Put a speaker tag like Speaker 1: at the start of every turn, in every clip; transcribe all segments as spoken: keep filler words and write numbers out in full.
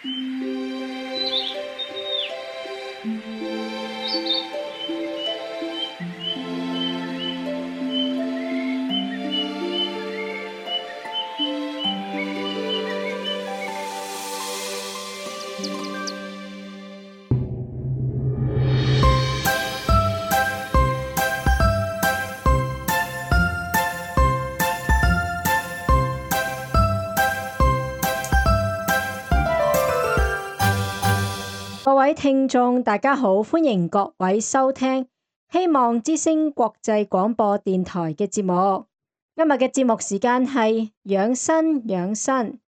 Speaker 1: 各位聽眾大家好，歡迎各位收聽希望之聲國際廣播電台嘅節目。今日嘅節目時間係養生養生。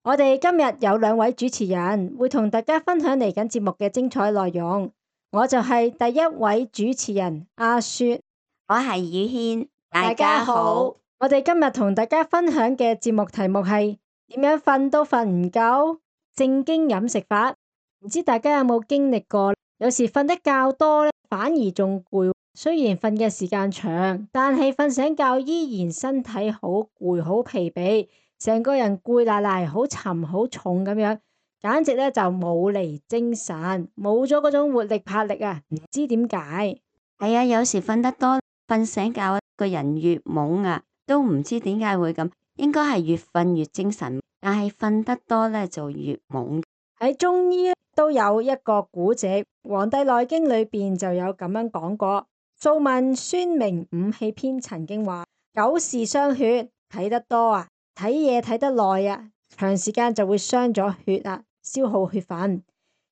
Speaker 1: 我哋今日有兩位主持人會同大家分享嚟緊節目嘅精彩內容。我就係第一位主持人阿雪，
Speaker 2: 我係宇軒，
Speaker 1: 大家好。我哋今日同大家分享嘅節目題目係點樣瞓都瞓唔夠，正經飲食法。唔知大家有冇經歷過？有時瞓得較多咧，反而仲攰。雖然瞓嘅時間長，但係瞓醒覺依然身體好攰、好疲憊，成個人攰賴賴、好沉、好重咁樣，簡直咧就冇嚟精神，冇咗嗰種活力、魄力啊！唔知點解？
Speaker 2: 係啊，有時瞓得多，瞓醒覺個人越懵啊，都唔知點解會咁。應該係越瞓越精神，但係瞓得多咧就越懵。
Speaker 1: 喺中醫都有一個古籍，《黃帝內經》裏邊就有咁樣講過。素問孫明五氣篇曾經話：久視傷血，睇得多啊，睇嘢睇得耐啊，長時間就會傷咗血啊，消耗血分。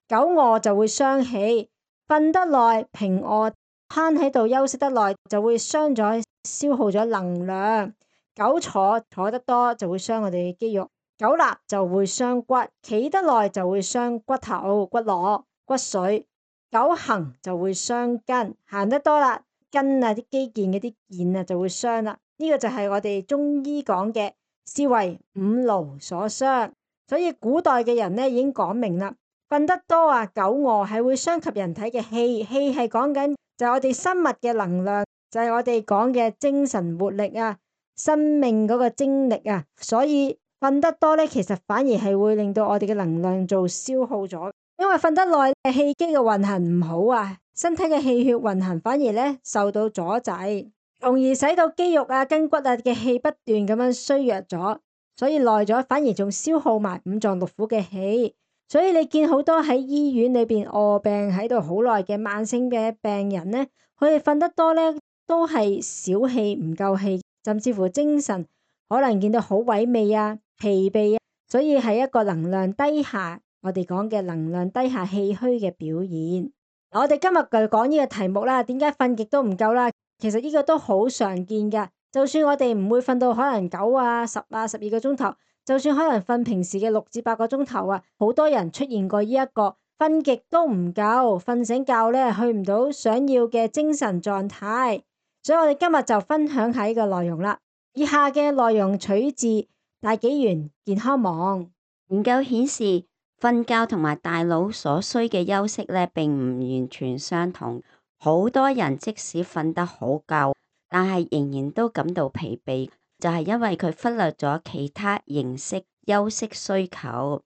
Speaker 1: 久臥就會傷氣，瞓得耐平臥攤喺度休息得耐就會傷咗，消耗咗能量。久坐坐得多就會傷我哋嘅肌肉。久立就會傷骨，企得耐就會傷骨頭、骨骼、骨髓。久行就會傷筋，行得多啦，筋啊啲肌腱嗰啲腱啊就會傷啦。呢、這個就係我哋中醫講嘅，是為五勞所傷。所以古代嘅人咧已經講明啦，瞓得多啊，久臥係會傷及人體嘅氣，氣係講緊就係我哋生物嘅能量，就係、是、我哋講嘅精神活力啊，生命嗰個精力啊，所以。瞓得多咧，其實反而係會令到我哋嘅能量做消耗咗，因為瞓得耐，氣機嘅運行唔好啊，身體嘅氣血運行反而咧受到阻滯，從而使到肌肉啊、筋骨啊嘅氣不斷咁樣衰弱咗，所以耐咗反而仲消耗埋五臟六腑嘅氣，所以你見好多喺醫院裏邊臥病喺度好耐嘅慢性嘅病人咧，佢哋瞓得多咧都係少氣唔夠氣，甚至乎精神可能見到好萎靡啊。疲憊啊，所以係一個能量低下，我哋講嘅能量低下氣虛嘅表現。我哋今日就講呢個題目啦，點解瞓極都唔夠啦？其實呢個都好常見噶，就算我哋唔會瞓到可能九啊、十啊、十二個鐘頭，就算可能瞓平時嘅六至八個鐘頭啊，好多人出現過呢一個瞓極都唔夠，瞓醒覺咧去唔到想要嘅精神狀態。所以我哋今日就分享下呢個內容啦。以下嘅內容取自大紀元健康網。
Speaker 2: 研究顯示，瞓覺同埋大腦所需嘅休息咧，並唔完全相同。好多人即使瞓得好夠，但係仍然都感到疲憊，就係因為佢忽略咗其他形式休息需求。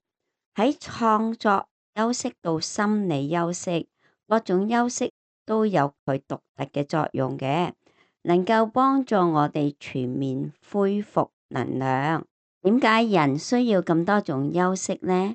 Speaker 2: 喺創作休息到心理休息，各種休息都有佢獨特嘅作用嘅，能夠幫助我哋全面恢復能量。點解人需要咁多種休息呢？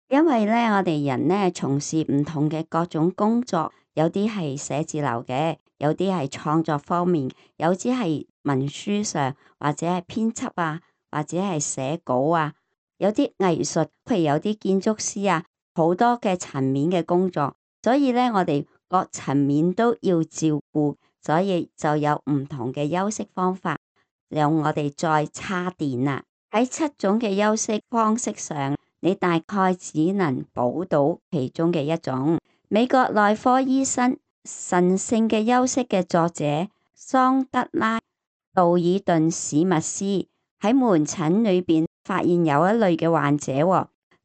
Speaker 2: 因為咧，我哋人咧從事唔同嘅各種工作，有啲係寫字樓嘅，有啲係創作方面，有啲係文書上或者係編輯啊，或者係寫稿啊，有啲藝術，譬如有啲建築師啊，好多嘅層面嘅工作，所以咧我哋各層面都要照顧，所以就有唔同嘅休息方法，讓我哋再叉電啦。喺七種嘅休息方式上，你大概只能補到其中嘅一種。美國內科醫生《神聖嘅休息》嘅作者桑德拉·道爾頓史密斯喺門診裏邊發現有一類嘅患者，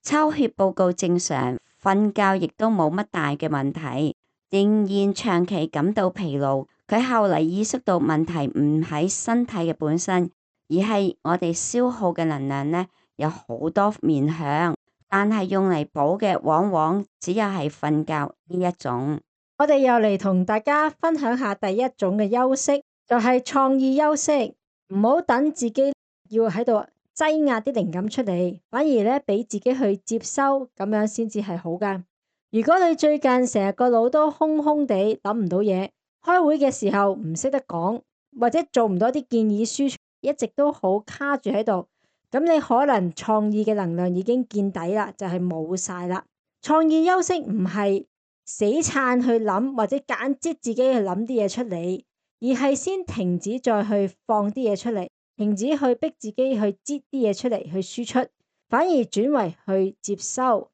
Speaker 2: 抽血報告正常，瞓覺亦都冇乜大嘅問題，仍然長期感到疲勞。佢後嚟意識到問題唔喺身體嘅本身，而係我哋消耗嘅能量呢，有好多面向，但係用嚟補嘅往往只有係瞓覺呢一種。
Speaker 1: 我哋又嚟同大家分享下第一種嘅休息，就係創意休息。唔好等自己要喺度擠壓啲靈感出嚟，反而咧俾自己去接收，咁樣先至係好噶。如果你最近成日個腦都空空地諗唔到嘢，開會嘅時候唔識得講，或者做唔到啲建議書，一直都好卡住喺度，咁你可能創意嘅能量已經見底啦，就係冇晒啦。創意休息唔係死撐去諗，或者揀擠自己去諗啲嘢出嚟，而係先停止再去放啲嘢出嚟，停止去逼自己去擠啲嘢出嚟去輸出，反而轉為去接收。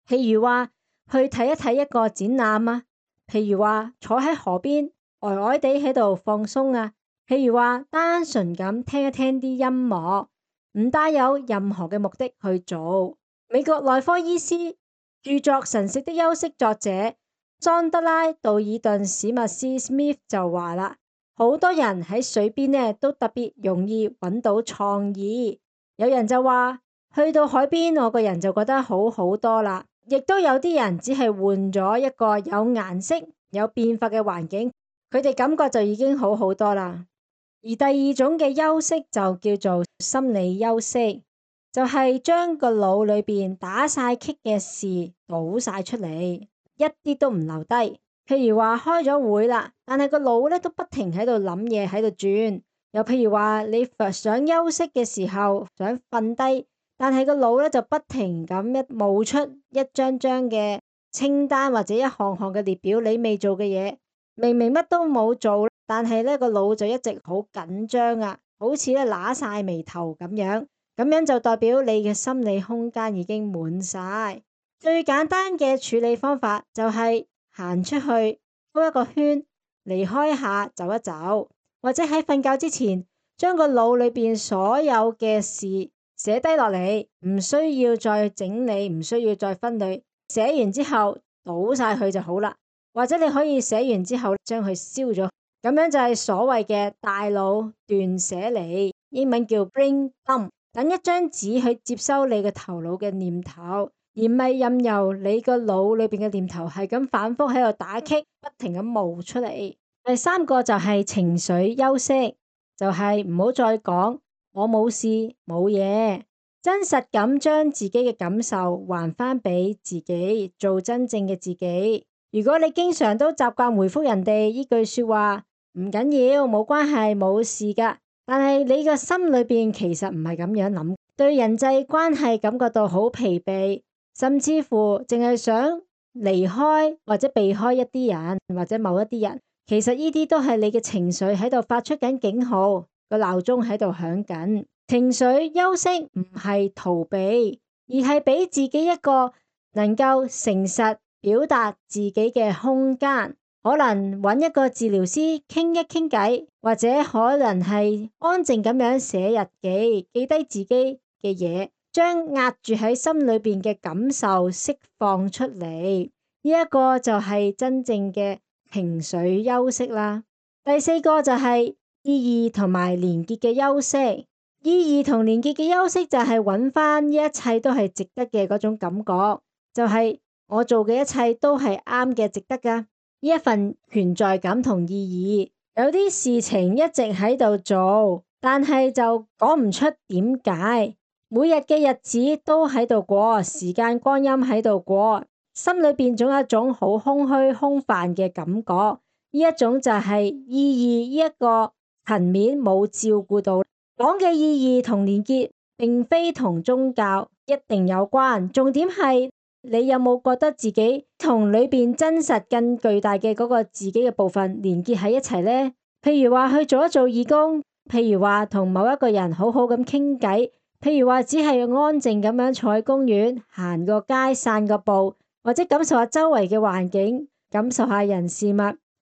Speaker 1: 譬如話去睇一睇一個展覽啊，譬如話坐喺河邊呆呆地喺度放鬆啊，譬如話單純咁聽一聽啲音樂，唔帶有任何嘅目的去做。美國內科醫師著作《神聖的休息》作者莊德拉道爾頓史密斯 Smith 就話啦，好多人喺水邊呢都特別容易揾到創意。有人就話去到海邊，我個人就覺得好好多啦。亦都有啲人只係換咗一個有顏色、有變化嘅環境，佢哋感覺就已經好好多啦。而第二種嘅休息就叫做心理休息，就係將個腦裏邊打晒棘嘅事倒晒出嚟，一啲都唔留低。譬如話開咗會啦，但係個腦咧都不停喺度諗嘢喺度轉。又譬如話你想休息嘅時候想瞓低，但係個腦咧就不停咁一冒出一張張嘅清單或者一項項嘅列表，你未做嘅嘢，明明乜都冇做，但係咧個腦就一直好緊張啊，好似咧揦晒眉頭咁樣，咁樣就代表你嘅心理空間已經滿晒。最簡單嘅處理方法就係行出去兜一個圈，離開下走一走，或者喺瞓覺之前將個腦裏邊所有嘅事寫低落嚟，唔需要再整理，唔需要再分類，寫完之後倒晒佢就好啦。或者你可以寫完之後將佢燒咗，咁樣就係所謂嘅大腦斷捨離，英文叫 brain dump。等一張紙去接收你嘅頭腦嘅念頭，而唔係任由你個腦裏邊嘅念頭係咁反覆喺度打擊，不停咁冒出嚟。第三個就係情緒休息，就係唔好再講我冇事冇嘢，真實咁將自己嘅感受還返俾自己，做真正嘅自己。如果你經常都習慣回覆人哋呢句說話，唔緊要，冇關係，冇事噶，但係你個心裏邊其實唔係咁樣諗，對人際關係感覺到好疲憊，甚至乎淨係想離開或者避開一啲人或者某一啲人，其實呢啲都係你嘅情緒喺度發出緊警號，個鬧鐘喺度響緊。情緒休息唔係逃避，而係俾自己一個能夠誠實表達自己嘅空間，可能揾一個治療師傾一傾偈，或者可能係安靜咁樣寫日記，記低自己嘅嘢，將壓住喺心裏邊嘅感受釋放出嚟。呢一個就係真正嘅情緒休息啦。第四個就係意義同埋連結嘅休息。意義同連結嘅休息就係揾翻呢一切都係值得嘅嗰種感覺，就係我做嘅一切都係啱嘅，值得噶，呢一份存在感同意義。有啲事情一直喺度做，但係就講唔出點解。每日嘅日子都喺度過，時間光陰喺度過，心裏邊總有一種好空虛空泛嘅感覺。呢一種就係意義呢一個層面冇照顧到。講嘅意義同連結並非同宗教一定有關，重點係你有冇覺得自己同裏邊真實更巨大嘅嗰個自己嘅部分連結喺一齊呢？譬如話去做一做義工，譬如話同某一個人好好咁傾偈，譬如話只係安靜咁樣坐喺公園行個街散個步，或者感受下周圍嘅環境，感受下人事物，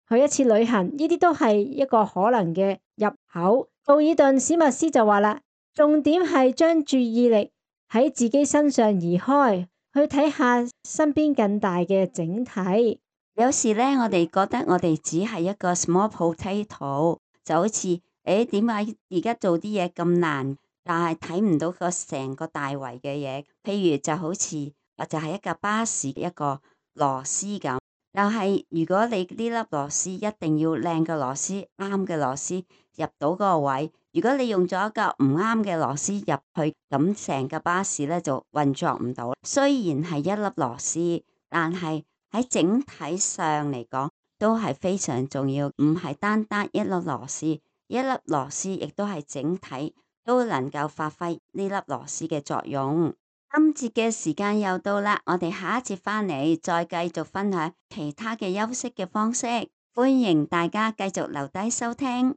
Speaker 1: 去一次旅行，呢啲都係一個可能嘅入口。道爾頓史密斯就話啦，重點係將注意力喺自己身上移開，去睇下身邊更大嘅整體。
Speaker 2: 有時呢，我哋覺得我哋只係一個 small potato，就好似誒點解而家做啲嘢咁難，但係睇唔到個成個大圍嘅嘢。譬如就好似就係一架巴士一個螺絲咁。但係如果你呢粒螺絲一定要靚嘅螺絲，啱嘅螺絲入到嗰個位。如果你用咗一個唔啱嘅螺絲入去，咁成架巴士咧就運作唔到。雖然係一粒螺絲，但係喺整體上嚟講都係非常重要，唔係單單一粒螺絲，一粒螺絲亦都係整體都能夠發揮呢粒螺絲嘅作用。今節嘅時間又到啦，我哋下一節返嚟再繼續分享其他嘅休息嘅方式，歡迎大家繼續留低收聽。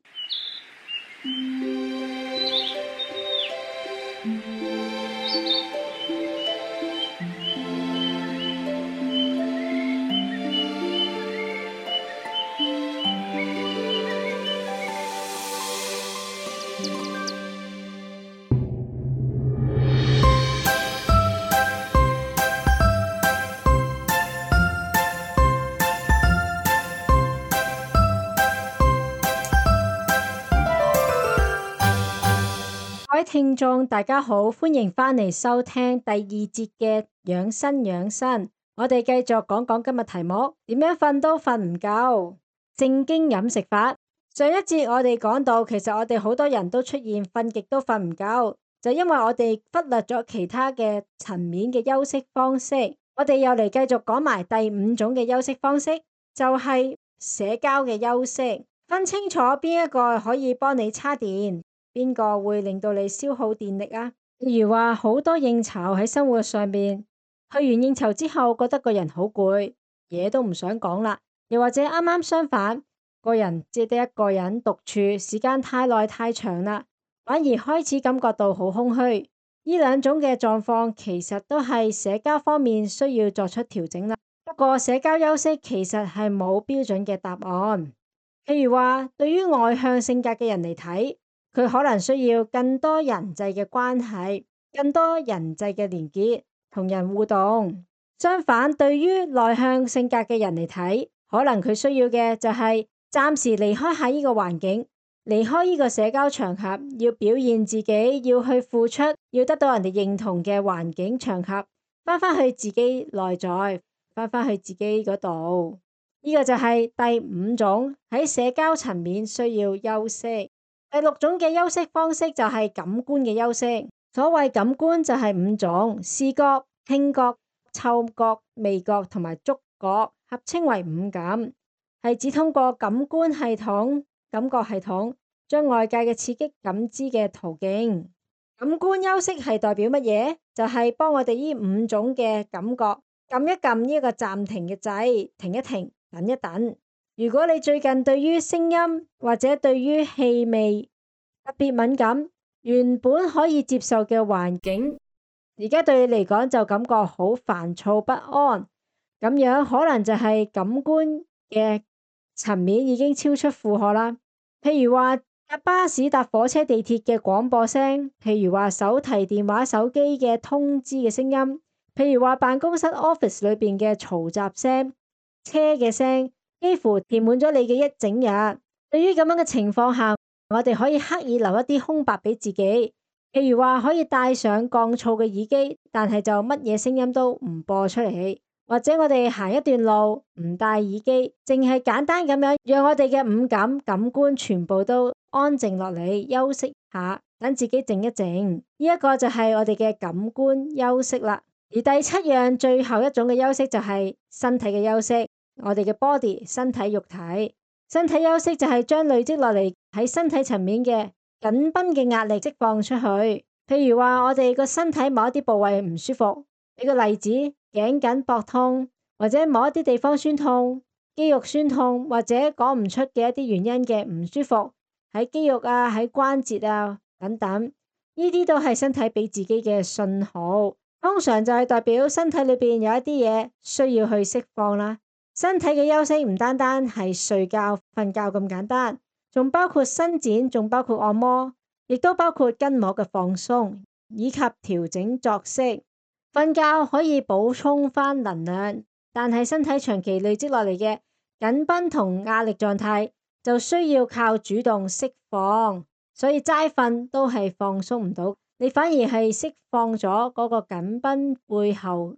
Speaker 1: 各位聽眾大家好，歡迎返嚟收聽第二節嘅養生養生。我哋繼續講講今日題目，點樣瞓都瞓唔夠，正經飲食法。上一節我哋講到，其實我哋好多人都出現瞓極都瞓唔夠，就因為我哋忽略咗其他嘅層面嘅休息方式。我哋又嚟繼續講埋第五種嘅休息方式，就係社交嘅休息。分清楚邊一個可以幫你叉電，邊個會令到你消耗電力啊？例如話好多應酬喺生活上面，去完應酬之後覺得個人好攰，嘢都唔想講啦。又或者啱啱相反，個人只得一個人獨處，時間太耐太長啦，反而開始感覺到好空虛。呢兩種嘅狀況其實都係社交方面需要作出調整啦。不過社交休息其實係冇標準嘅答案。譬如話，對於外向性格嘅人嚟睇，佢可能需要更多人際嘅關係，更多人際嘅連結，同人互動。相反，對於內向性格嘅人嚟睇，可能佢需要嘅就係暫時離開下呢個環境，離開呢個社交場合，要表現自己，要去付出，要得到人哋認同嘅環境場合，翻返去自己內在，翻返去自己嗰度。呢個就係第五種喺社交層面需要休息。第六種嘅休息方式就係感官嘅休息。所謂感官就係五種：視覺、聽覺、嗅覺、味覺同埋觸覺，合稱為五感，係指通過感官系統、感覺系統將外界嘅刺激感知嘅途徑。感官休息係代表乜嘢？就係幫我哋呢五種嘅感覺撳一撳呢個暫停嘅掣，停一停，等一等。如果你最近對於聲音或者對於氣味特別敏感，原本可以接受嘅環境，而家對你嚟講就感覺好煩躁不安，咁樣可能就係感官嘅層面已經超出負荷啦。譬如話搭巴士、搭火車、地鐵嘅廣播聲，譬如話手提電話、手機嘅通知嘅聲音，譬如話辦公室 office 裏邊嘅嘈雜聲、車嘅聲，幾乎填滿咗你嘅一整日。對於咁樣嘅情況下，我哋可以刻意留一啲空白俾自己，譬如話可以戴上降噪嘅耳機，但係就乜嘢聲音都唔播出嚟，或者我哋行一段路唔戴耳機，淨係簡單咁樣讓我哋嘅五感感官全部都安靜落嚟，休息下，等自己靜一靜。呢一個就係我哋嘅感官休息啦。而第七樣最後一種嘅休息就係身體嘅休息，我哋嘅 body 身體肉體。身體休息就係將累積落嚟喺身體層面嘅緊繃嘅壓力釋放出去。譬如話我哋個身體某一啲部位唔舒服，俾個例子，頸緊膊痛，或者某一啲地方酸痛、肌肉酸痛，或者講唔出嘅一啲原因嘅唔舒服，喺肌肉啊、喺關節啊等等，呢啲都係身體俾自己嘅信號，通常就係代表身體裏邊有一啲嘢需要去釋放啦。身體嘅休息唔單單係睡覺、瞓覺咁簡單，仲包括伸展，仲包括按摩，亦都包括筋膜嘅放鬆，以及調整作息。瞓覺可以補充翻能量，但係身體長期累積落嚟嘅緊繃同壓力狀態，就需要靠主動釋放，所以齋瞓都係放鬆唔到，你反而係釋放咗嗰個緊繃背後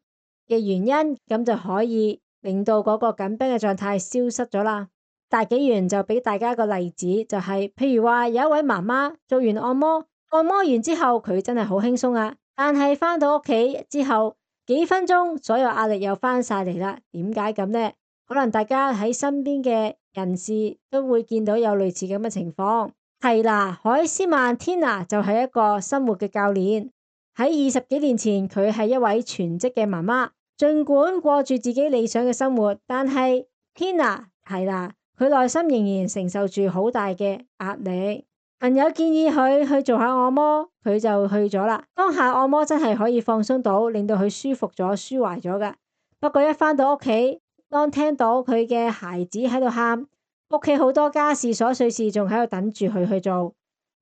Speaker 1: 嘅原因，咁就可以令到嗰個緊繃嘅狀態消失咗啦。大紀元就俾大家一個例子，就係譬如話有一位媽媽做完按摩，按摩完之後佢真係好輕鬆啊，但係返到屋企之後幾分鐘，所有壓力又返晒嚟啦。點解咁呢？可能大家喺身邊嘅人士都會見到有類似咁嘅情況。係啦，海斯曼 Tina 就係一個生活嘅教練。喺二十幾年前，佢係一位全職嘅媽媽，儘管過住自己理想嘅生活，但係 Tina 係啦，佢內心仍然承受住好大嘅壓力。朋友建議佢去做下按摩，佢就去咗啦。當下按摩真係可以放鬆到，令到佢舒服咗、舒懷咗㗎。不過一返到屋企，當聽到佢嘅孩子喺度喊，屋企好多家事瑣碎事仲喺度等住佢去做，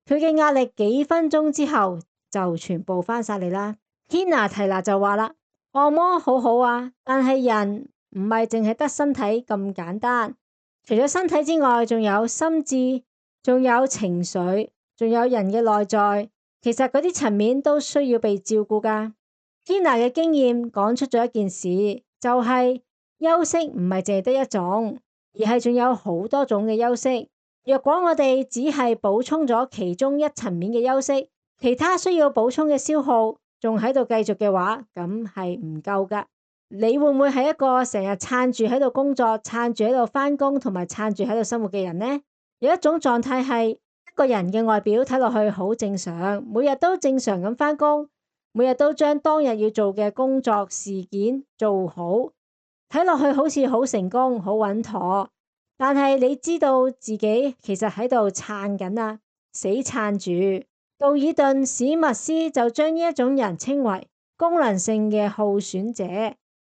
Speaker 1: 佢嘅壓力幾分鐘之後就全部返晒嚟啦。Tina 提娜就話啦，按摩好好啊，但係人唔係淨係得身體咁簡單，除咗身體之外，仲有心智，仲有情緒，仲有人嘅內在，其實嗰啲層面都需要被照顧㗎。Tina 嘅經驗講出咗一件事，就係休息唔係淨係得一種，而係仲有好多種嘅休息。若果我哋只係補充咗其中一層面嘅休息，其他需要補充嘅消耗仲喺度繼續嘅話，咁係唔夠㗎。你會唔會係一個成日撐住喺度工作、撐住喺度返工同埋撐住喺度生活嘅人呢？有一種狀態係一個人嘅外表睇落去好正常，每日都正常咁返工，每日都將當日要做嘅工作事件做好，睇落去好似好成功、好穩妥。但係你知道自己其實喺度撐緊啊，死撐住。道爾頓史密斯就將呢一種人稱為功能性嘅耗損者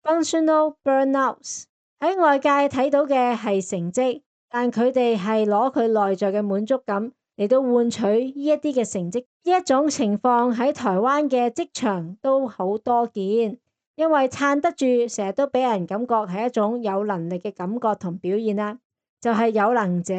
Speaker 1: （functional burnouts）。喺外界睇到嘅係成績，但佢哋係攞佢內在嘅滿足感嚟到換取呢一啲嘅成績。呢一種情況喺台灣嘅職場都好多見，因為撐得住，成日都俾人感覺係一種有能力嘅感覺同表現啦，就係有能者。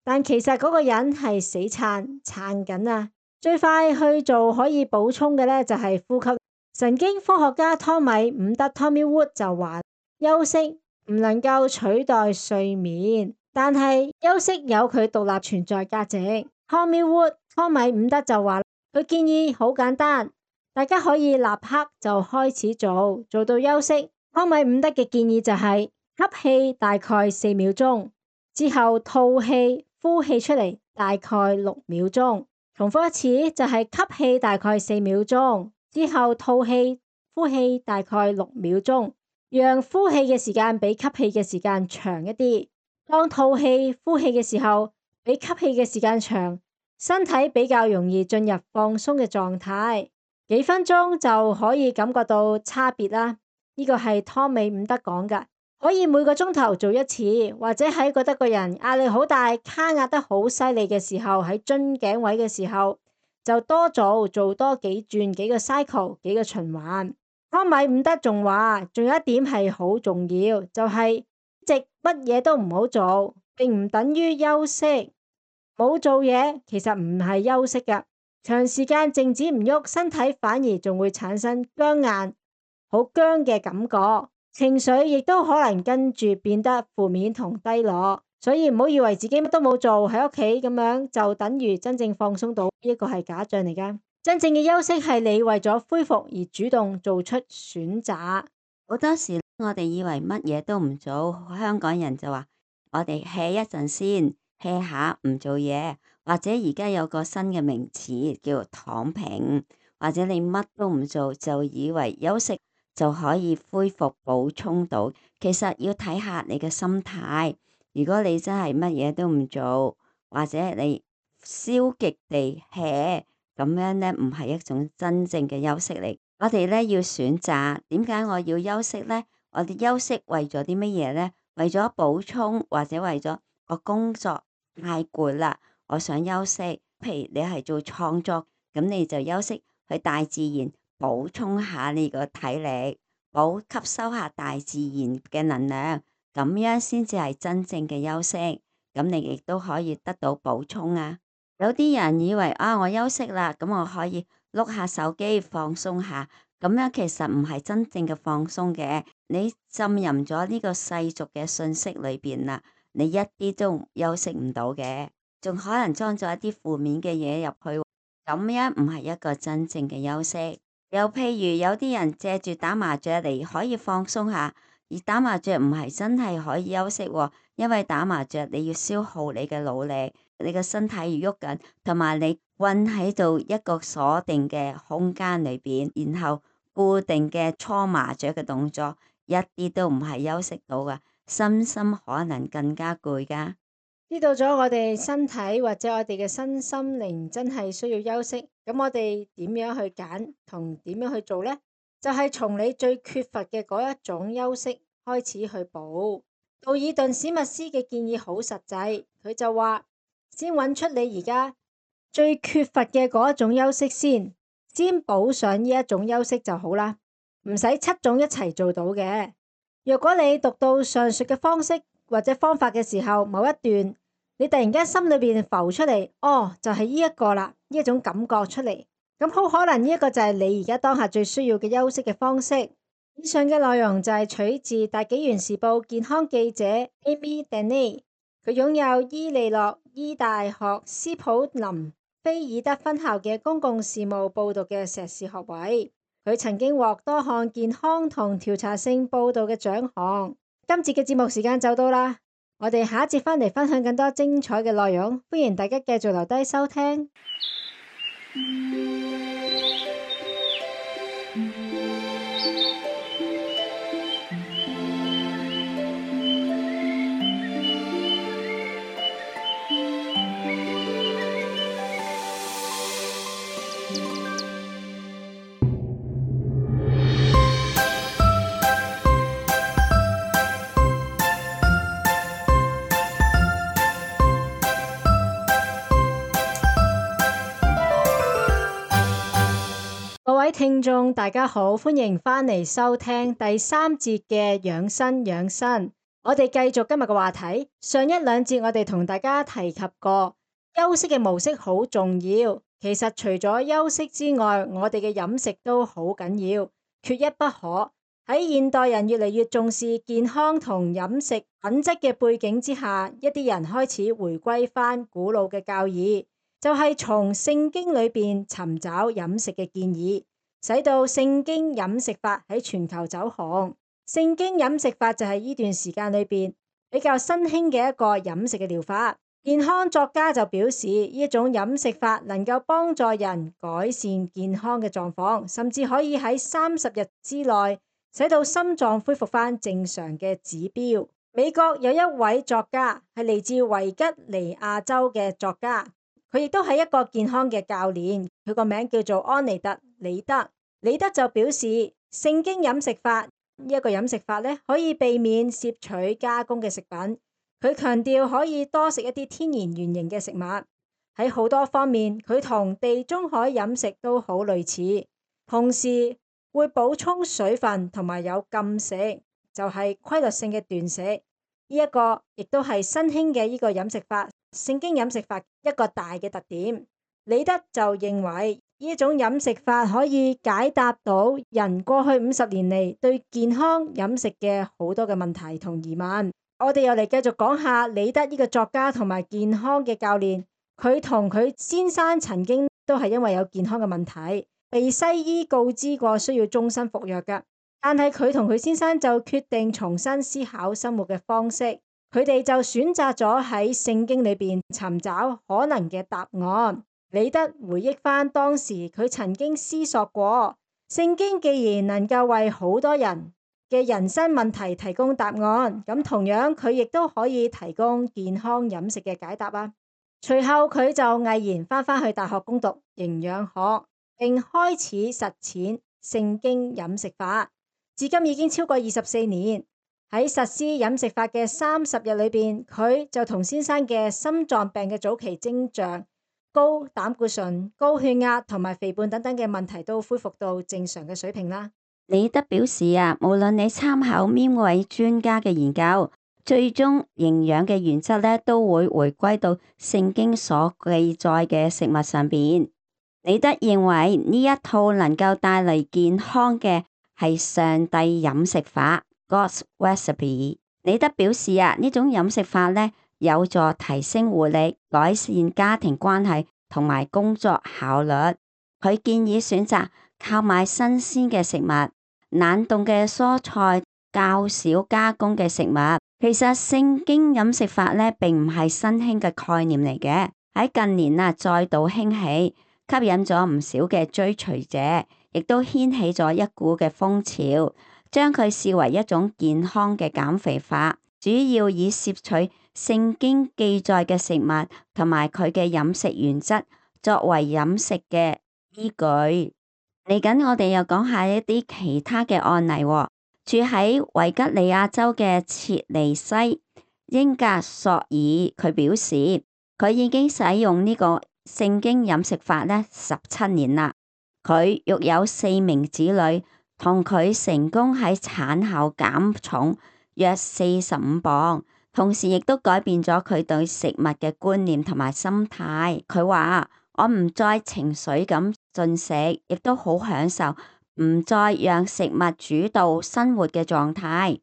Speaker 1: 但其實嗰個人係死撐撐緊啊！最快去做可以補充嘅呢，就係呼吸。神經科學家湯米伍德 Tommy Wood 就話，休息唔能夠取代睡眠，但係休息有佢獨立存在價值。Tommy Wood 湯米伍德就話，佢建議好簡單，大家可以立刻就開始做，做到休息。湯米伍德嘅建議就係吸氣大概四秒鐘，之後吐氣呼氣出嚟大概六秒鐘。重複一次就係吸氣大概四秒鐘，之後吐氣呼氣大概六秒鐘，讓呼氣嘅時間比吸氣嘅時間長一啲。當吐氣呼氣嘅時候比吸氣嘅時間長，身體比較容易進入放鬆嘅狀態，幾分鐘就可以感覺到差別啦。呢個係湯米伍德講㗎。可以每個鐘頭做一次，或者喺覺得個人壓力好大、卡壓得好犀利嘅時候，喺樽頸位嘅時候，就多做做多幾轉、幾個 cycle、幾個循環。湯米伍德仲話，仲有一點係好重要，就係直乜嘢都唔好做，並唔等於休息。冇做嘢其實唔係休息㗎，長時間靜止唔喐，身體反而仲會產生僵硬、好僵嘅感覺。情緒亦都可能跟住變得負面同低落，所以唔好以為自己乜都冇做喺屋企咁樣就等於真正放鬆到，呢個係假象嚟㗎。真正嘅休息係你為咗恢復而主動做出選擇。
Speaker 2: 好多時我哋以為乜嘢都唔做，香港人就話我哋 hea 一陣先 hea 下唔做嘢，或者而家有個新嘅名詞叫躺平，或者你乜都唔做就以為休息就可以恢復補充到，其實要睇下你嘅心態。如果你真係乜嘢都唔做，或者你消極地 hea， 咁樣呢唔係一種真正嘅休息嚟。我哋呢要選擇，點解我要休息呢？我哋休息為咗啲乜嘢呢？為咗補充，或者為咗我工作太攰啦，我想休息。譬如你係做創作，咁你就休息去大自然。補充下你個體力，補吸收下大自然嘅能量，咁樣先至係真正嘅休息。咁你亦都可以得到補充啊！有啲人以為啊，我休息啦，咁我可以碌下手機放鬆下，咁樣其實唔係真正嘅放鬆嘅，你浸淫咗呢個世俗嘅信息裏邊啦，你一啲都休息唔到嘅，仲可能裝咗一啲負面嘅嘢入去，咁樣唔係一個真正嘅休息。又譬如有啲人借住打麻雀嚟可以放鬆下，而打麻雀唔係真係可以休息喎，因為打麻雀你要消耗你嘅腦力，你嘅身體要喐緊，同埋你困喺度一個鎖定嘅空間裏邊，然後固定嘅搓麻雀嘅動作，一啲都唔係休息到噶，身心可能更加攰噶。
Speaker 1: 知道咗我哋身體或者我哋嘅身心靈真係需要休息，咁我哋點樣去揀同點樣去做呢？就係從你最缺乏嘅嗰一種休息開始去補。道爾頓史密斯嘅建議好實際，佢就話先揾出你而家最缺乏嘅嗰一種休息先，先補上呢一種休息就好啦，唔使七種一齊做到嘅。若果你讀到上述嘅方式或者方法嘅時候，某一段你突然間心裏邊浮出嚟，哦，就係呢一個啦，呢一種感覺出嚟，咁好可能呢一個就係你而家當下最需要嘅休息嘅方式。以上嘅內容就係取自《大紀元時報》健康記者 Amy Denny， 佢擁有伊利諾伊大學斯普林菲爾德分校嘅公共事務報道嘅碩士學位，佢曾經獲多項健康同調查性報道嘅獎項。今節嘅節目時間就到啦，我哋下一節返嚟分享更多精彩嘅內容，歡迎大家繼續留低收聽。各位聽眾大家好，歡迎返嚟收聽第三節嘅養生養生。我哋繼續今日嘅話題。上一兩節我哋同大家提及過，休息嘅模式好重要。其實除咗休息之外，我哋嘅飲食都好緊要，缺一不可。喺現代人越嚟越重視健康同飲食品質嘅背景之下，一啲人開始回歸返古老嘅教義，就係從聖經裏邊尋找飲食嘅建議，使到聖經飲食法喺全球走紅。聖經飲食法就係呢段時間裏邊比較新興嘅一個飲食嘅療法。健康作家就表示，呢一種飲食法能夠幫助人改善健康嘅狀況，甚至可以喺三十日之內使到心臟恢復返正常嘅指標。美國有一位作家係嚟自維吉尼亞州嘅作家，佢亦都係一個健康嘅教練，佢個名叫做安妮特李德。李德就表示，聖經飲食法呢一個飲食法咧，可以避免攝取加工嘅食品。佢強調可以多食一啲天然原形嘅食物。喺好多方面，佢同地中海飲食都好類似，同時會補充水分同埋有禁食，就係規律性嘅斷食。呢一個亦都係新興嘅呢個飲食法，聖經飲食法一個大嘅特點。李德就認為呢種飲食法可以解答到人過去五十年嚟對健康飲食嘅好多嘅問題同疑問。我哋又嚟繼續講下李德呢個作家同埋健康嘅教練，佢同佢先生曾經都係因為有健康嘅問題，被西醫告知過需要終身服藥㗎。但係佢同佢先生就決定重新思考生活嘅方式，佢哋就選擇咗喺聖經裏邊尋找可能嘅答案。李德回憶返當時佢曾經思索過，聖經既然能夠為好多人嘅人生問題提供答案，咁同樣佢亦都可以提供健康飲食嘅解答啊。隨後佢就毅然返返去大學攻讀營養學，並開始實踐聖經飲食法，至今已經超過二十四年。喺實施飲食法嘅三十日裏邊，佢就同先生嘅心臟病嘅早期徵象、高膽固醇、高血壓同埋肥胖等等嘅問題都恢復到正常嘅水平啦。
Speaker 2: 李德表示啊，無論你參考邊位專家嘅研究，最終營養嘅原則咧都會回歸到聖經所記載嘅食物上邊。李德認為呢一套能夠帶嚟健康嘅係上帝飲食法 God's Recipe。李德表示啊，呢種飲食法呢，有助提升活力、改善家庭關係同埋工作效率。佢建議選擇購買新鮮嘅食物、冷凍嘅蔬菜、較少加工嘅食物。其實聖經飲食法呢，並唔係新興嘅概念嚟嘅，喺近年啊再度興起，吸引咗唔少嘅追隨者，亦都掀起咗一股嘅風潮，將佢視為一種健康嘅減肥法，主要以攝取聖經記載嘅食物同埋佢嘅飲食原則作為飲食嘅依據。嚟緊我哋又講下一啲其他嘅案例。住喺維吉尼亞州嘅切尼西英格索爾，佢表示佢已經使用呢個聖經飲食法呢十七年啦。佢育有四名子女，同佢成功喺產後減重約四十五磅，同時亦都改變咗佢對食物嘅觀念同埋心態。佢話：我唔再情緒咁進食，亦都好享受唔再讓食物主導生活嘅狀態。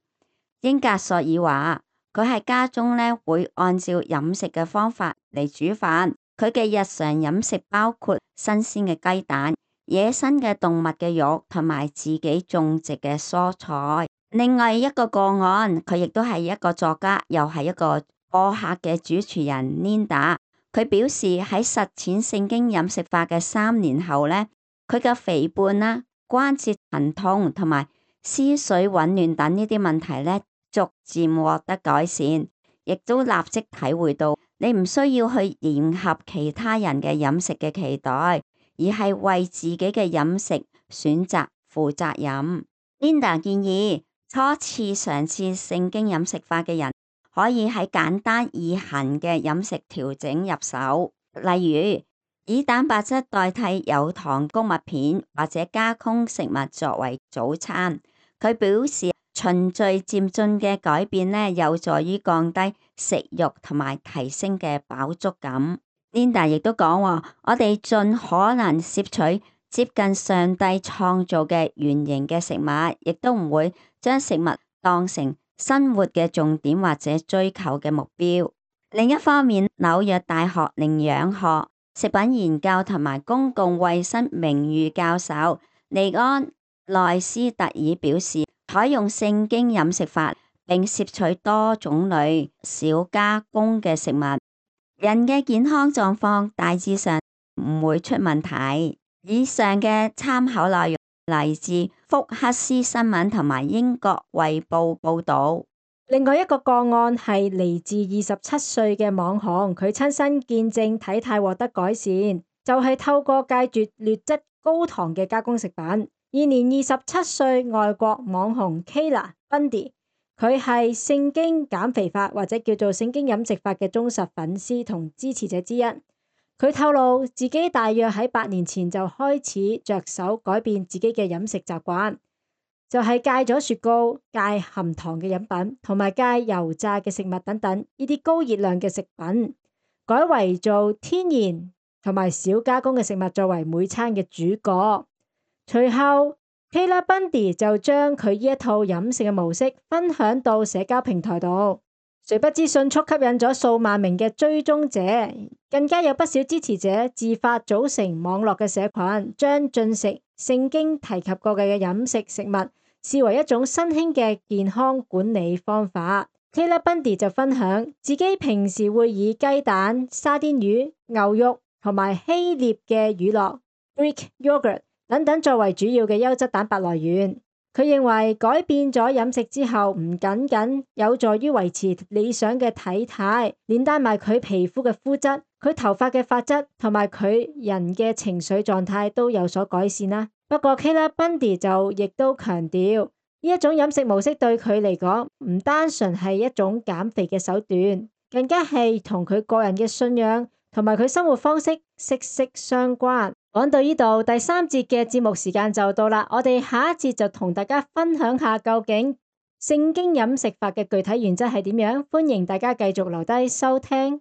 Speaker 2: 英格索爾話：佢喺家中呢會按照飲食嘅方法嚟煮飯。佢嘅日常飲食包括新鮮嘅雞蛋、野生嘅動物嘅肉同埋自己種植嘅蔬菜。另外一個個案，佢亦都係一個作家，又係一個播客嘅主持人 Linda。佢表示喺實踐聖經飲食法嘅三年後呢，佢嘅肥胖啦、關節疼痛同埋思緒紊亂等呢啲問題呢，逐漸獲得改善，亦都立即體會到你唔需要去迎合其他人嘅飲食嘅期待，而係為自己嘅飲食選擇負責任。Linda 建議初次嘗試聖經飲食法嘅人可以喺簡單易行嘅飲食調整入手，例如以蛋白質代替有糖穀物片或者加工食物作為早餐。佢表示循序漸進嘅改變呢，有助於降低食慾同埋提升嘅飽足感。Linda 亦都講話，我哋盡可能攝取接近上帝創造嘅原型嘅食物，亦都唔會將食物當成生活嘅重點或者追求嘅目標。另一方面，紐約大學營養學、食品研究同埋公共衛生名譽教授尼安內斯特爾表示，採用聖經飲食法並攝取多種類少加工嘅食物，人嘅健康狀況大致上唔會出問題。以上嘅參考內容嚟自福克斯新聞同埋英國衛報報道。
Speaker 1: 另外一個個案係嚟自二十七歲嘅網紅，佢親身見證體態獲得改善，就係、是、透過戒絕劣質高糖嘅加工食品。現年二十七歲外國網紅 Kayla Bundy， 佢係聖經減肥法或者叫做聖經飲食法嘅忠實粉絲同支持者之一。佢透露自己大約喺八年前就開始着手改變自己嘅飲食習慣，就係戒咗雪糕、戒含糖嘅飲品，同埋戒油炸嘅食物等等呢啲高熱量嘅食品，改為做天然同埋少加工嘅食物作為每餐嘅主角。隨後 Kayla Bundy 就將佢呢一套飲食嘅模式分享到社交平台度，誰不知迅速吸引咗數萬名嘅追蹤者，更加有不少支持者自發組成網絡嘅社群，將進食聖經提及過嘅飲食食物視為一種新興嘅健康管理方法。Kayla Bundy 就分享自己平時會以雞蛋、沙甸魚、牛肉同埋希臘嘅乳酪 Greek yogurt 等等作為主要嘅優質蛋白來源。佢認為改變咗飲食之後，唔僅僅有助於維持理想嘅體態，連帶埋佢皮膚嘅膚質、佢頭髮嘅髮質同埋佢人嘅情緒狀態都有所改善啦。不過 Kayla Bundy 就亦都強調，呢一種飲食模式對佢嚟講唔單純係一種減肥嘅手段，更加係同佢個人嘅信仰同埋佢生活方式息息相關。講到呢度，第三節嘅節目時間就到啦。我哋下一節就同大家分享下究竟聖經飲食法嘅具體原則係點樣。歡迎大家繼續留低收聽。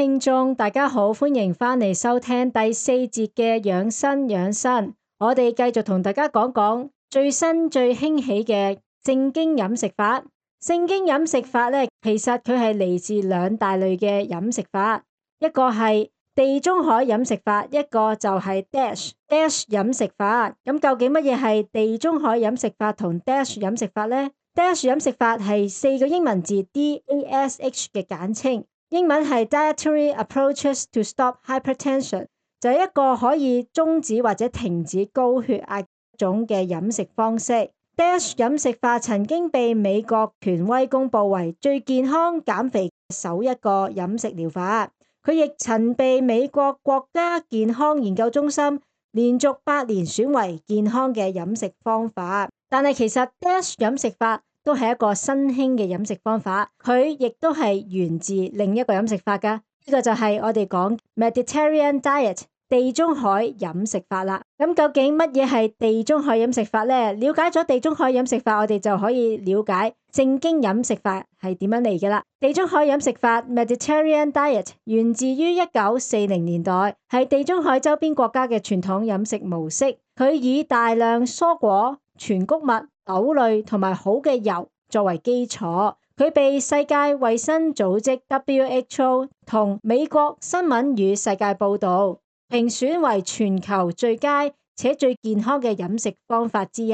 Speaker 1: 聽眾，大家好，歡迎返嚟收聽第四節嘅養生養生。我哋繼續同大家講講最新最興起嘅正經飲食法。正經飲食法咧，其實佢係嚟自兩大類嘅飲食法，一個係地中海飲食法，一個就係 DASH DASH 飲食法。咁究竟乜嘢係地中海飲食法同 DASH 飲食法呢？DASH 飲食法係四個英文字 D A S H 嘅簡稱，英文係 Dietary Approaches to Stop Hypertension， 就係一個可以終止或者停止高血壓種嘅飲食方式。DASH 飲食法曾經被美國權威公佈為最健康減肥首一個飲食療法，佢亦曾被美國國家健康研究中心連續八年選為健康嘅飲食方法。但係其實 DASH 飲食法都係一個新興嘅飲食方法，佢亦都係源自另一個飲食法㗎。呢個就係我哋講 Mediterranean Diet 地中海飲食法啦。咁究竟乜嘢係地中海飲食法呢？了解咗地中海飲食法，我哋就可以了解正經飲食法係點樣嚟嘅啦。地中海飲食法 Mediterranean Diet 源自於一九四零年代，係地中海周邊國家嘅傳統飲食模式。佢以大量蔬果、全穀物、豆類同埋好嘅油作為基礎，佢被世界衛生組織 W H O 同美國新聞與世界報導評選為全球最佳且最健康嘅飲食方法之一。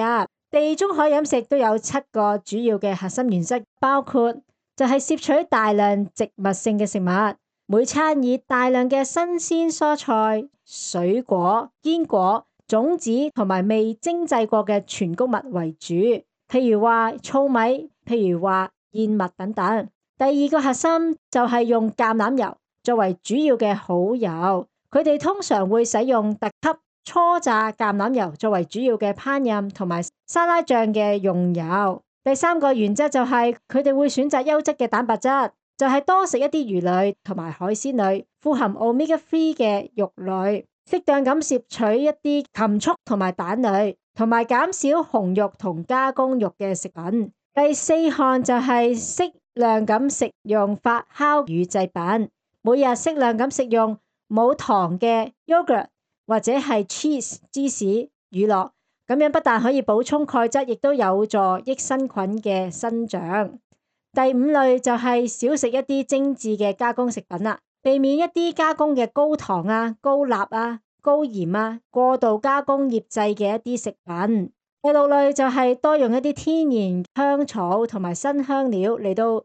Speaker 1: 地中海飲食都有七個主要嘅核心原則，包括就係攝取大量植物性嘅食物，每餐以大量嘅新鮮蔬菜、水果、堅果、種子同埋未精製過嘅全穀物為主，譬如話糙米，譬如話燕麥等等。第二個核心就係用橄欖油作為主要嘅好油，佢哋通常會使用特級初榨橄欖油作為主要嘅烹飪同埋沙拉醬嘅用油。第三個原則就係佢哋會選擇優質嘅蛋白質，就係多食一啲魚類同埋海鮮類，富含 omega 三 嘅肉類。適當咁攝取一啲禽畜同埋蛋類，同埋減少紅肉同加工肉嘅食品。第四項就係適量咁食用發酵乳製品，每日適量咁食用冇糖嘅 yogurt 或者係 cheese 芝士乳酪，咁樣不但可以補充鈣質，亦都有助益生菌嘅生長。第五類就係少食一啲精緻嘅加工食品啦。避免一啲加工嘅高糖啊、高鈉啊、高鹽啊、過度加工醃製嘅一啲食品。第六類就係多用一啲天然香草同埋新香料嚟到入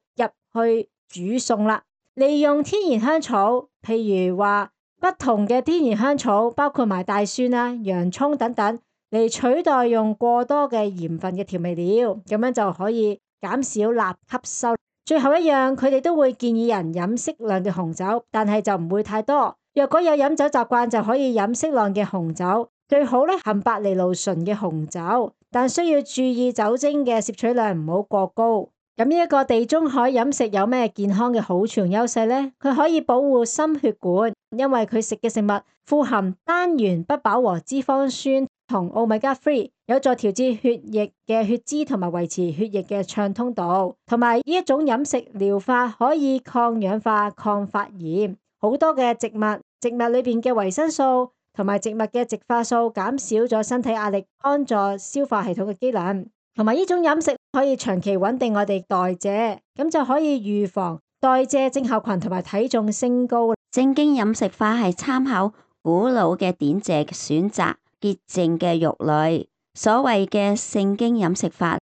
Speaker 1: 去煮餸啦。利用天然香草，譬如話不同嘅天然香草，包括埋大蒜啊、洋蔥等等，嚟取代用過多嘅鹽分嘅調味料，咁樣就可以減少鈉吸收。最後一樣，佢哋都會建議人飲適量嘅紅酒，但係就唔會太多。若果有飲酒習慣，就可以飲適量嘅紅酒，最好咧含白藜蘆醇嘅紅酒，但需要注意酒精嘅攝取量唔好過高。咁呢一個地中海飲食有咩健康嘅好處同優勢呢？佢可以保護心血管，因為佢食嘅食物富含單元不飽和脂肪酸同 omega 三，有助調節血液嘅血脂同埋維持血液嘅暢通度。同埋呢一種飲食療法可以抗氧化、抗發炎。好多嘅植物，植物裏邊嘅維生素同埋植物嘅植化素減少咗身體壓力，幫助消化系統嘅機能。同埋呢種飲食可以長期穩定我哋代謝，咁就可以預防代謝症候群同埋體重升高。
Speaker 2: 正經飲食法係參考古老嘅典籍，選擇潔淨嘅肉類。所謂嘅聖經飲食法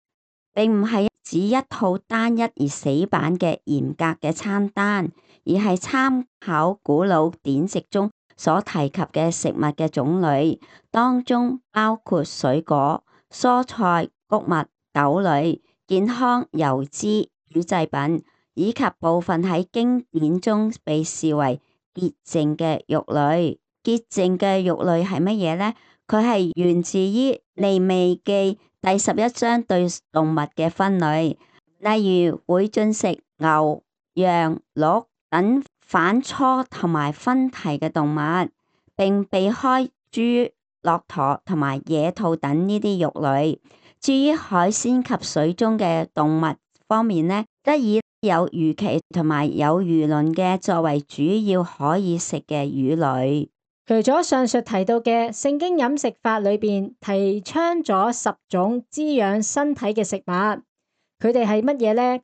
Speaker 2: 並唔係指一套單一而死板嘅嚴格嘅餐單，而係參考古老典籍中所提及嘅食物嘅種類，當中包括水果、蔬菜、穀物、豆類、健康油脂、乳製品，以及部分喺經典中被視為潔淨嘅肉類。潔淨嘅肉類係乜嘢呢？佢係源自於利未記第十一章對動物嘅分類，例如會進食牛、羊、鹿等反芻同埋分蹄嘅動物，並避開豬、駱駝同埋野兔等呢啲肉類。至於海鮮及水中嘅動物方面呢，則以有魚鰭同埋有魚鱗嘅作為主要可以食嘅魚類。
Speaker 1: 除咗上述提到嘅聖經飲食法裏邊提倡咗十種滋養身體嘅食物，佢哋係乜嘢呢？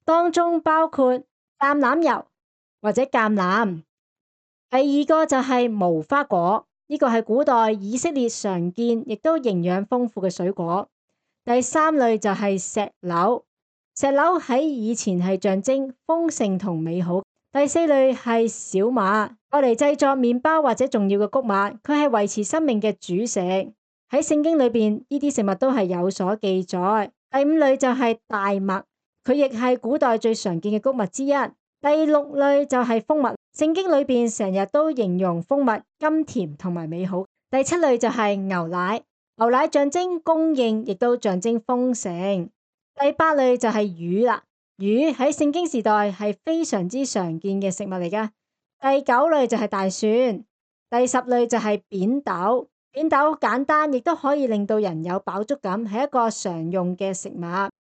Speaker 1: 當中包括橄欖油或者橄欖。第二個就係無花果，呢個係古代以色列常見亦都營養豐富嘅水果。第三類就係石榴，石榴喺以前係象徵豐盛同美好。第四類係小麥，攞嚟製作麵包或者重要嘅穀物，佢係維持生命嘅主食。喺聖經裏邊，呢啲食物都係有所記載。第五類就係大麥，佢亦係古代最常見嘅穀物之一。第六類就係蜂蜜，聖經裏邊成日都形容蜂蜜甘甜同埋美好。第七類就係牛奶，牛奶象徵供應，亦都象徵豐盛。第八類就係魚啦。魚喺聖經時代係非常之常見嘅食物嚟㗎。第九類就係大蒜，第十類就係扁豆。扁豆簡單，亦都可以令到人有飽足感，係一個常用嘅食物。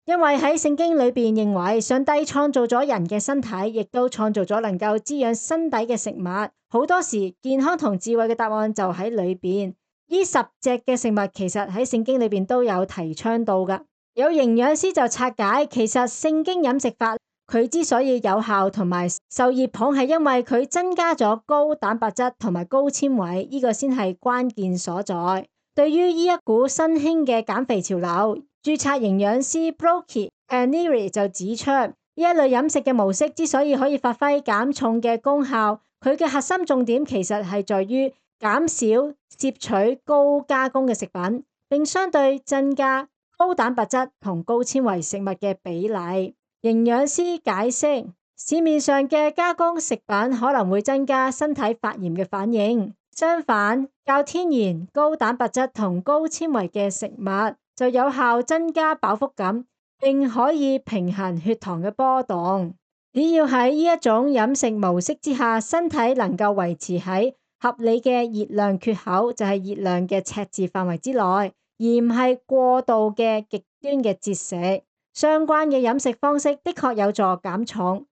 Speaker 1: 因為喺聖經裏邊認為上帝創造咗人嘅身體，亦都創造咗能夠滋養身體嘅食物。好多時健康同智慧嘅答案就喺裏邊。呢十隻嘅食物其實喺聖經裏邊都有提倡到㗎。有營養師就拆解，其實聖經飲食法佢之所以有效同埋受熱捧，係因為佢增加咗高蛋白質同埋高纖維，呢個先係關鍵所在。對於呢一股新興嘅減肥潮流，註冊營養師 Brooke Paneri 就指出，呢一類飲食嘅模式之所以可以發揮減重嘅功效，佢嘅核心重點其實係在於減少攝取高加工嘅食品，並相對增加高蛋白質同高纖維食物嘅比例。營養師解釋，市面上嘅加工食品可能會增加身體發炎嘅反應，相反，較天然高蛋白質同高纖維嘅食物就有效增加飽腹感，並可以平衡血糖嘅波動。只要喺呢一種飲食模式之下，身體能夠維持喺合理嘅熱量缺口，就係熱量嘅赤字範圍之內，而唔係過度嘅極端嘅節食。相關嘅飲食方式的確有助減重，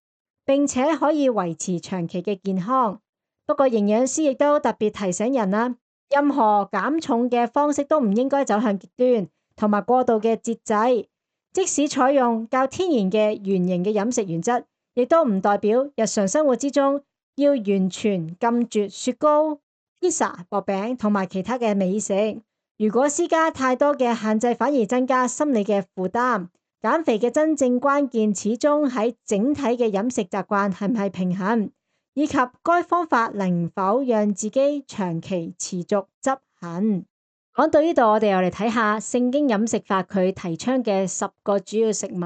Speaker 1: 並且可以維持長期嘅健康。不過營養師亦都特別提醒人啦，任何減重嘅方式都唔應該走向極端同埋過度嘅節制。即使採用較天然嘅原型嘅飲食原則，亦都唔代表日常生活之中要完全禁絕雪糕、披薩、薄餅同埋其他嘅美食。如果施加太多嘅限制，反而增加心理嘅負擔。減肥嘅真正關鍵始終喺整體嘅飲食習慣係唔係平衡，以及該方法能否讓自己長期持續執行。講到呢度，我哋又嚟睇下聖經飲食法佢提倡嘅十個主要食物。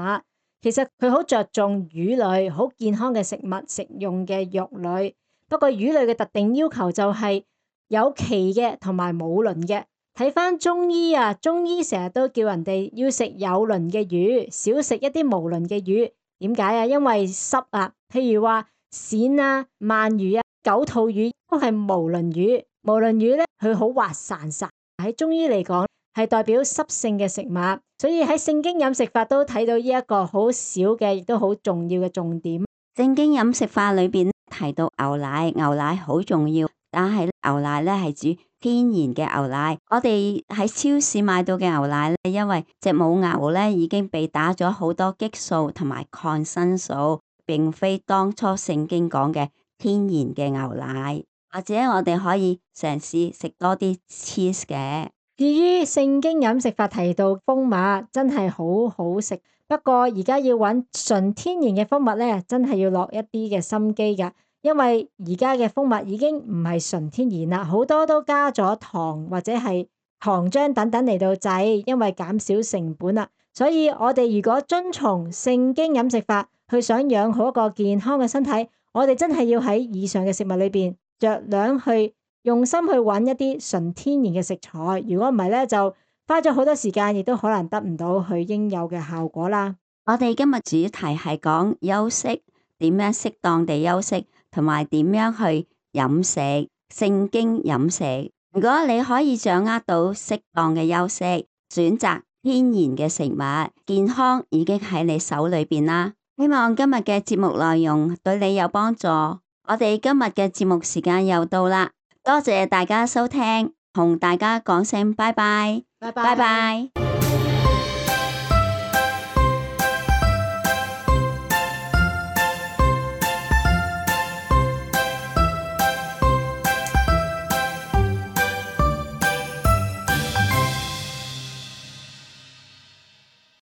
Speaker 1: 其實佢好着重魚類，好健康嘅食物，食用嘅肉類。不過魚類嘅特定要求就係有鰭嘅同埋冇鱗嘅。睇返中醫啊，中醫成日都叫人哋要食有鱗嘅魚，少食一啲無鱗嘅魚。點解啊？因為濕啊。譬如話鱔啊、鰻魚啊、九肚魚都係無鱗魚。無鱗魚咧，佢好滑潺潺，喺中醫嚟講係代表濕性嘅食物。所以喺聖經飲食法都睇到呢一個好少嘅，亦都好重要嘅重點。
Speaker 2: 聖經飲食法裏邊提到牛奶，牛奶好重要，但係牛奶咧係指天然嘅牛奶。我哋喺超市買到嘅牛奶咧，因為隻母牛咧已經被打咗好多激素同埋抗生素，並非當初聖經講嘅天然嘅牛奶。或者我哋可以嘗試食多啲 cheese 嘅。
Speaker 1: 至於聖經飲食法提到蜂蜜，真係好好食。不過而家要揾純天然嘅蜂蜜咧，真係要落一啲嘅心機㗎。因為而家嘅蜂蜜已經唔係純天然啦，好多都加咗糖或者係糖漿等等嚟到製，因為減少成本啦。所以我哋如果遵從聖經飲食法，去想養好一個健康嘅身體，我哋真係要喺以上嘅食物裏邊酌量去用心去揾一啲純天然嘅食材。如果唔係咧，就花咗好多時間，亦都可能得唔到佢應有嘅效果啦。
Speaker 2: 我哋今日主題係講休息，點樣適當地休息，同埋點樣去飲食。聖經飲食，如果你可以掌握到適當嘅休息，選擇天然嘅食物，健康已經喺你手裏邊啦。希望今日嘅節目內容對你有幫助。我哋今日嘅節目時間又到啦，多謝大家收聽，同大家講聲拜拜，
Speaker 1: 拜
Speaker 2: 拜拜。